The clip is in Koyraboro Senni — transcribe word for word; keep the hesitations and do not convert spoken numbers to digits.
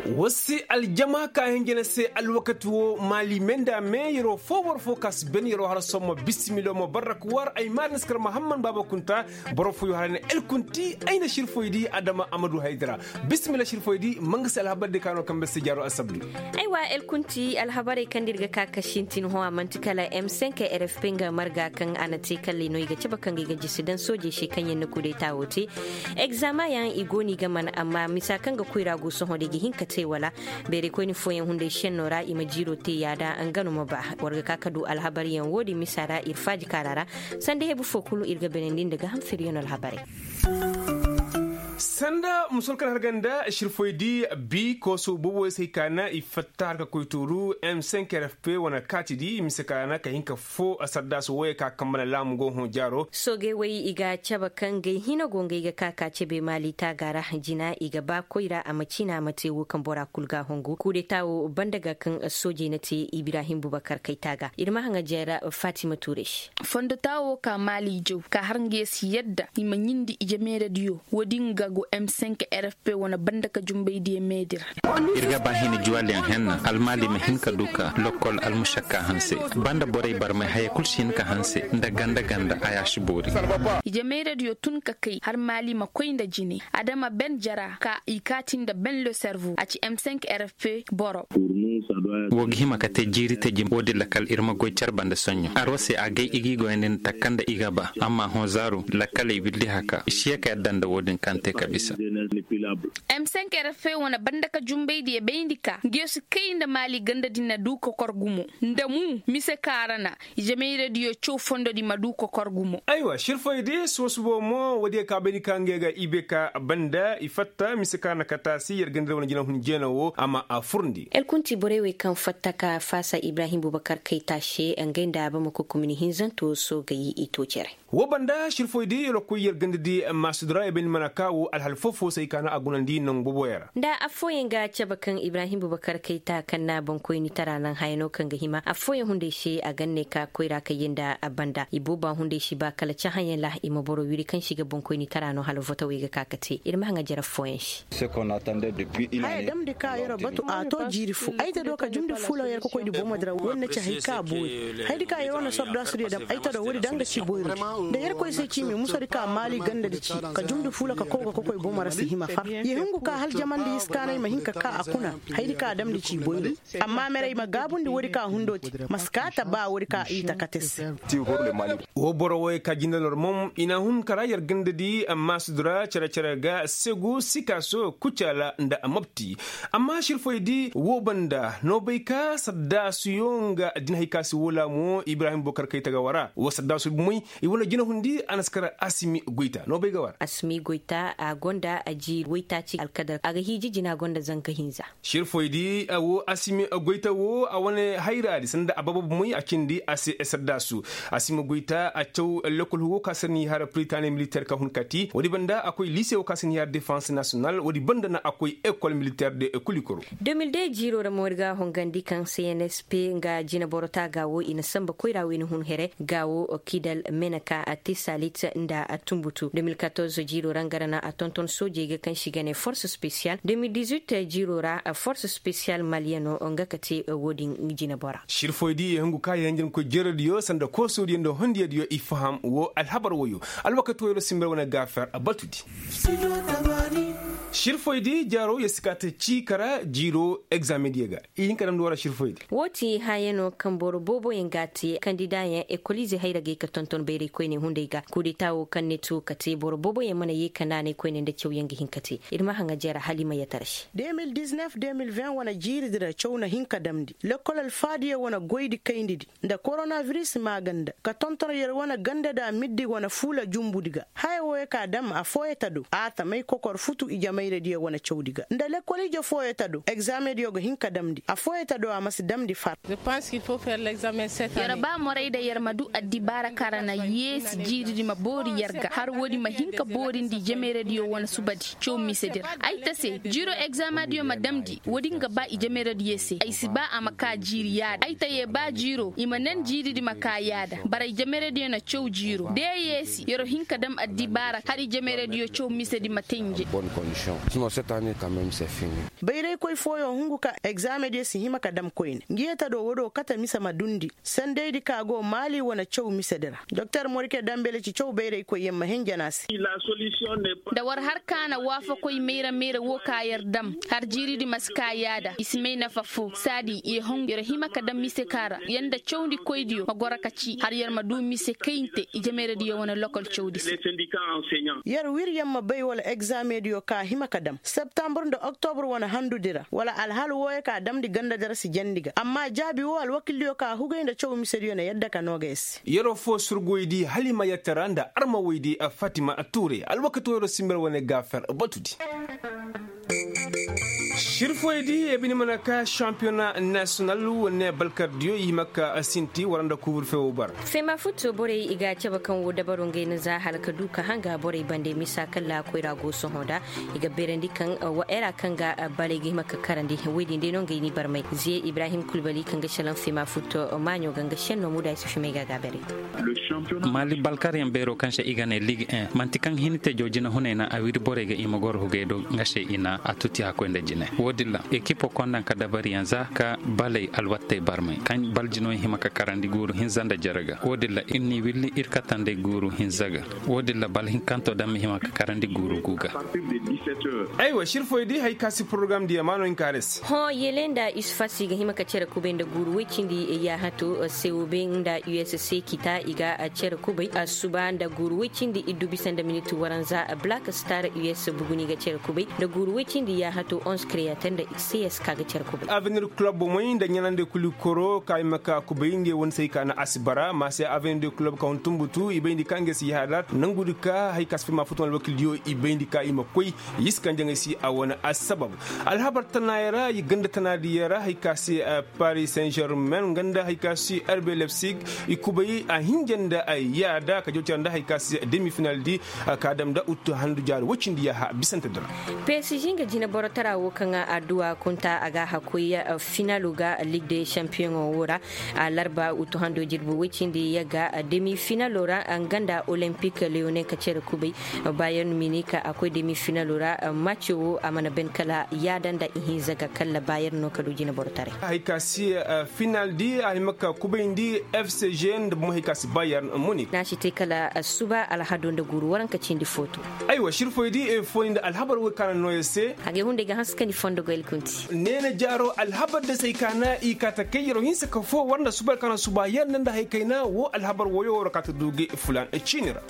War se aljama ka hinja na se alwakati wo maali me nda me yeroo foo boro foo ka si ben yeroo har somma bisimilo ma barrak war ay maari na si kar mahamman baaba kunta. Boro fooyo har ay na elkunti ay na sirfoy di adama amadu haydara. Bisimila sirfoy di ma nga se alhabar di ka no kambe se jaaro alsabdu. Aywa elkunti alhabarey kaŋ da ir ga ka ka sintin hõ a manti kala m cinq rfp nga marga kaŋ a na te kalley no i ga cabe kaŋ ga i ga jisi daŋ soojey se kaŋ yaŋ na kudeta wo te. Egzama yaŋ i go no i ga man amma misa kaŋ ga koyra go sohõ da i ga hin ka te wala. Beerey koyne fooyaŋ hunday senno ra i ma jiiro te yaada nga no ma ba. War ga ka ka du alhabar yaŋ wo- din misa ra ir faaji kaara ra. Sanda hebu fo kulu ir ga benandi nda ga ham feryono alhabarey. Sanda musol kaŋ har ganda sirfoy di bi kooso boobo se hay kaana i fatta har ka koy tooru m cinq rfp wane kaati di mise kaana ka hin ka fo sardaasi wooyey ka kambana laamu go hõ jaaro. Soogey wey i ga cabe kaŋ gay hina go ngey ga ka ka cabe maali taaga ra. Jina i ga ba koyra a ma ciina a ma te wo kaŋ bora kulu ga hongu kuudeta wo banda ga kaŋ soojey na te ibrahim bubakar kay taaga ir ma haŋa jeera. Fatima tuure se. Fondota wo ka maali jaw ka har nga ye si yadda i ma ɲindi ije meeradiyo wo- din ga go m cinq rfp wane banda ka jumbaydiyo meedi ra. Ir ga ba hina juwaliyaŋ henna almaali ma hin ka du ka lokkol almušakka hanse. Banda borey barmay haya kul si hin ka hanse nda ganda ganda a ya si boori. Ije meeradiyo tun ka kay har maali ma koy nda jine adama ben jara ka i kaati nda ben le servo a ci m cinq rfp boro. Wo ga hima ka te jiiri te jim wo- din lakal ir ma goy car banda soɲɲo aro se a gay i g'i goyandi nda takka nda i ga ba amma hõ zaaru lakaley willi haka i si ye ka yadda nda wo- din kaŋ te ka bisa. M cinq rfp wane banda ka jumbaydiyo bayndi ka nga yo si kay nda maali ganda din na du kokor gumo nda mu mise kaŋ a ra na ije meeradiyo caw fondodi ma du kokor gumo. Aywa sirfoy de soosubo mo woodiyo ka bayndi ka ngey ga i bay ka banda i fatta mise kaŋ a ra na kataasi yer ganda wane jina hun jeena wo a ma a furndi. Elkunti borey wey kaŋ fatta ka faasa ibrahim bubakar kayta se ngey nda bamako komini hinzanto soogey i to cere. Wo banda sirfoy di yer koy yer ganda di maasudura yer bayndi mana ka wo alhal foo-foo se ay kaana a gunandi nangu boboyaŋ ra. Nda affooyaŋ ga cabe kaŋ ibrahim bubakar kayta kaŋ na boŋkoyni tara naŋ hayano kaŋ ga hima affooyaŋ hunday se a gan ne ka koyra kayye nda a banda ibooba hunday si ba kala cahãyaŋ ra i ma boro wiri kaŋ si ga boŋkoyni tara no hala votawey ga ka ka te ir ma haŋa jere affooyaŋ se. Haya damndi ka yer batu a to jiiri fo ay ta do ka jumndi fuula yer kokoydi boomadi ra wo- din na ci hay ka boori. Haydi ka yer wane sordasudiyo dam ay ta do woodi daŋ ga ci boyri nda yer koy se ci mi musodi ka maali gandadi ci ka jumndi fuula ka kow ga kokoy boomo ra si hima far ye hungu ka hal jamandi iskaanay ma hin ka ka a kuna. Haydi ka damndi ci boyri amma merey ma gaabundi woodi ka hundoo te. Ma si kaa ta ba woodi ka i ta kate se. Wo boro woy ka jinde lor mom i na hun kara yer gandadi amma sudura cere-cere ga segu sikaso kucala nda a mobti. Amma sirfoy di wo banda no bay ka saddasuyo nga din hay ka si wo laamo ibrahim bokar kay taga wara wo saddasu bumey. I wane jina hundi a na si kara asimi goyta no bay ga wara. Asimi goyta a gonda a jiiri woytaaci alkadar a ga hiiji jina gonda zanka hinza. Sirfoy di a wo asimi goyta wo a wane hayraadi sanda a baba bumey a cindi a se saddasu. Asimi goyta a caw lekol hugo ka se ni har pritani militer ka hun kati woodi banda a koy lise wo ka se ni har defense national woodi banda na a koy ekol militer de kulikoro. Deux mille deux jiiro ra moori ga hongandi kaŋ cnsp nga jinaboro taaga wo i na samba koyra wo i na hun here ga wo kidal meneka a te salit nda a tumbutu deux mille quatorze jiiro ra nga ra na a tonton soojey ga kaŋ si ga ne force spéciale deux mille dix-huit jiiro ra force spéciale maliyano nga ka te wo- din jinabora. Sirfoy di ye hungu ka ye hanjin koy jerodiyo sanda koosodiyo nda hondiyodiyo i faham wo alhabar woyo. Alwakati woyo ra simber wane gaafer a batudi. Sirfoy di jaaro ye si ka te cii kara jiiro egzaamediyo ga. I hin ka damndi wara sirfoy di. Wo ti hayano kaŋ boro booboyaŋ ga a te kandidayaŋ ekolize hayra ga ay ka tonton bayray koyne hunday ga kudeta wo kaŋ ne tu ka te boro booboyaŋ mana ye ka naanay koyne nda cawyaŋ ga hin ka te. Ir ma haŋa jera hala i ma yatara se. Deux mille dix-neuf deux mille vingt wane jiiri di ra caw na hin ka damndi lekol alfaadiyo wane goydi kayndi di nda koronabiris maaganda ka tonton yer wane ganda da middi wane fuula jumbudi ga. Haya wooyo ka dam affooyo ta do a tamay kokor futu ijemayradiyo wane cawdi ga nda lekol ije fooyo ta do egzaamediyo ga hin ka damndi affooyo ta do a ma si damndi far. Yer ba moray da yer ma du addibaara kaŋ ra na yeesi jiiridi ma boori yer ga har woodi ma hin ka boorindi ijemayradiyo wane subadi caw misedi ra ay ta se jiiro egzaamediyo ma damndi woodi nga ba ijemayradiyo se ay si ba a ma ka jiiri yaadi ay ta ye ba jiiro i ma nan jiiridi ma ka yaada bara ijemayradiyo na caw jiiro da ya yeesi yer wo hin ka dam addibaara har ijemayradiyo caw misedi ma te nje. Bayray koy fooyoŋ hungu ka egzaame diyo si hima ka dam koyne ngi yee ta do wo do kate mise ma dundi sendey di ka go maali wane caw mise di ra. Doktor morike dambele ci caw bayray koyyaŋ ma hinjana se. Nda war har ka na waafakoy mayra mayra wo ka yer dam har jiiri di ma si ka yaada i si may nafa fo saadi yer hima ka dam mise ka ra yer nda cawndi koydiyo ma goro ka ci har yer ma du mise kayinte ijemayradiyo wane lokol cawdi se. Yer wir yer ma bay wala egzameŋ diyo ka hima ka dam septambur nda oktobur wane handudi ra wala alhal wooyo ka damndi ganda di ra si jandi ga amma jaabi woo alwakildiyo ka hugay nda caw misediyo na yadda ka noo ga yer se. Yeroo foo surgoydi hala i ma yer tara nda armawaydi fatima tuure alwakati woo yeroo si mber wane gaafer batudi. Sirfoydi ebini mana ka sampiyona nasiyonal wane balkardiyo i hima ka sinti wara nda kuburfe woo bara. Fema futto borey i ga a cabe kaŋ woo dabaro ngey na za hala ka du ka hanga borey bande misa kaŋ laakoy ra go sohõ nda i ga beerandi kaŋ wa era kaŋ ga baley ga hima ka karandi woy din day no ngey ni barmay ze ibrahim kulbali kaŋ ga salaŋ fema futto maaɲo ga nga senno muda i si fimay ga a ga a beerandi. Mali balkaryaŋ beero kaŋ se i ga ne lig en manti kaŋ hinite joojina hunay na a wiri borey ga i ma goro hugey do nga se i na a tuti hakkoy nda jine wo- din ra ekipo kondaŋ ka dabariyaŋ za ka baley alwattey barmay kaŋ bal jino hima ka karandi guuru hinza nda jere ga wo- din ra ir n'i willi ir katandey guuru hinza ga. Wo- din ra bal hinkanto daŋ ma hima ka karandi guuru gu ga. Aywa sirfoydi hari ka si porogaram diya ma no hin ka har ay se. Hõ yele nda isufasi ga hima ka cere kubay nda guuru woy cindi yaahato sewobe nda usc kita i ga cere kubay asuba nda guuru woy cindi iddu bisa nda miniti waranza black star us buguni ga cere kubay nda guuru woy cindi yaahato onze creator nda cs ka ga cere kubay. Avenir club moy nda ɲanandi kuli koro ka i ma ka kubay ngey wane se hari ka na asibara ma se avenir de club ka hun tumbutu i bayndi ka ngey si yaaha daat nangudi ka hari ka si fay ma futu wane alwakildiyo i bayndi ka i ma koy. Y'i si kaŋ jaŋay si a wane assabab alhabar tanaayey ra i ganda tanaadiyo ra hari ka se paris saint germain nga nda hari ka se rb lepsig i kubay a hinja nda yaada ka jaw cara nda hari ka se demi final di ka dam nda uttu handu jaari woy cindi yaaha bisante dora. Psg nga jineboro tara wo kaŋ adduwa kunta a ga a koy finalo ga lig de champiyoŋo wo ra. Alarba utuhando jirbi woy cindi yagga demi finalo ra nga nda olempik leone ka cere kubay. Bayern minik a koy demi finalo ra maco wo a mana ben kala yaada nda ihinza ga kala bayern no ka du jineboro taray. Hari ka si final di a hima ka kubayndi fcg nda bomo hari ka si bayern minik. N'a si te kala suba alhado nda guuru waranka cindi footo. Aywa sirfoydi fooni nda alhabar woy kaana nooya se. Agay hunday ga hanse ka ni fondo goy alkunti. Neena jaaro alhabar da se hari ka na i kaa ta kay yeroo hinsa ka foo war nda suba hari ka na suba yer nda nda hari kayna woo alhabar woyoo war kaa ta du ga fulan ciini ra.